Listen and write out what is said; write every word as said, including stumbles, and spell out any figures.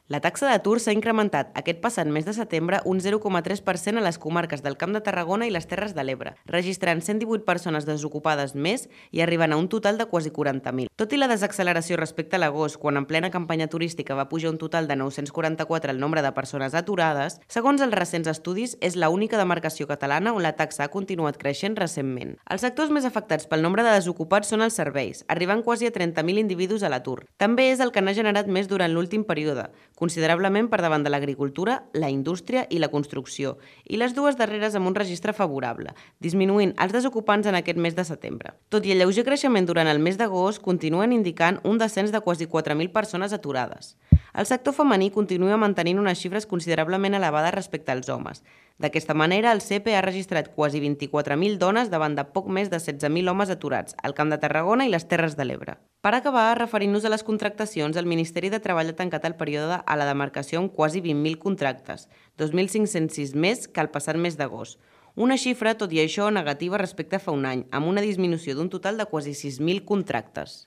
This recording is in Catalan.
La taxa d'atur s'ha incrementat aquest passat mes de setembre un zero coma tres per cent a les comarques del Camp de Tarragona i les Terres de l'Ebre, registrant cent divuit persones desocupades més i arribant a un total de quasi quaranta mil. Tot i la desacceleració respecte a l'agost, quan en plena campanya turística va pujar un total de nou-cents quaranta-quatre el nombre de persones aturades, segons els recents estudis, és l'única demarcació catalana on la taxa ha continuat creixent recentment. Els sectors més afectats pel nombre de desocupats són els serveis, arribant quasi a trenta mil individus a l'atur. També és el que n'ha generat més durant l'últim període, considerablement per davant de l'agricultura, la indústria i la construcció, i les dues darreres amb un registre favorable, disminuint els desocupants en aquest mes de setembre. Tot i el lleuger creixement durant el mes d'agost, continuen indicant un descens de quasi quatre mil persones aturades. El sector femení continua mantenint unes xifres considerablement elevades respecte als homes. D'aquesta manera, el C E P E ha registrat quasi vint-i-quatre mil dones davant de poc més de setze mil homes aturats al Camp de Tarragona i les Terres de l'Ebre. Per acabar, referint-nos a les contractacions, el Ministeri de Treball ha tancat el període a la demarcació amb quasi vint mil contractes, dos mil cinc-cents sis més que el passat mes d'agost. Una xifra, tot i això, negativa respecte a fa un any, amb una disminució d'un total de quasi sis mil contractes.